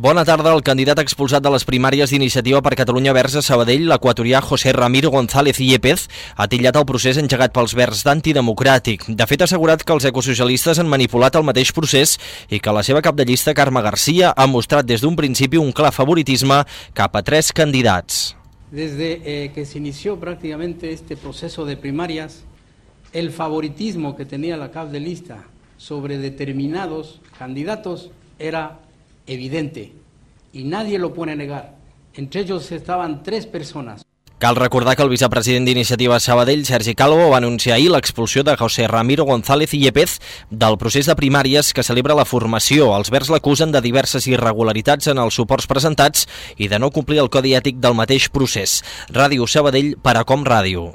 Bona tarda. El candidat expulsat de les primàries d'Iniciativa per Catalunya Verds a Sabadell, l'equatorià José Ramiro González Yepez, ha titllat el procés engegat pels Verds d'antidemocràtic. De fet, ha assegurat que els ecosocialistes han manipulat el mateix procés i que la seva cap de llista, Carme García, ha mostrat des d'un principi un clar favoritisme cap a 3 candidats. Desde que se inició prácticamente este proceso de primarias, el favoritismo que tenía la cap de lista sobre determinados candidatos era evidente y nadie lo puede negar. Entre ellos estaban 3 personas. Cal recordar que el vicepresident d'Iniciativa Sabadell, Sergi Calvo, va anunciar ahir l'expulsió de José Ramiro González Yepez del procés de primàries que celebra la formació. Els Verds l'acusen de diverses irregularitats en els suports presentats i de no complir el codi ètic del mateix procés. Ràdio Sabadell per Acom Ràdio.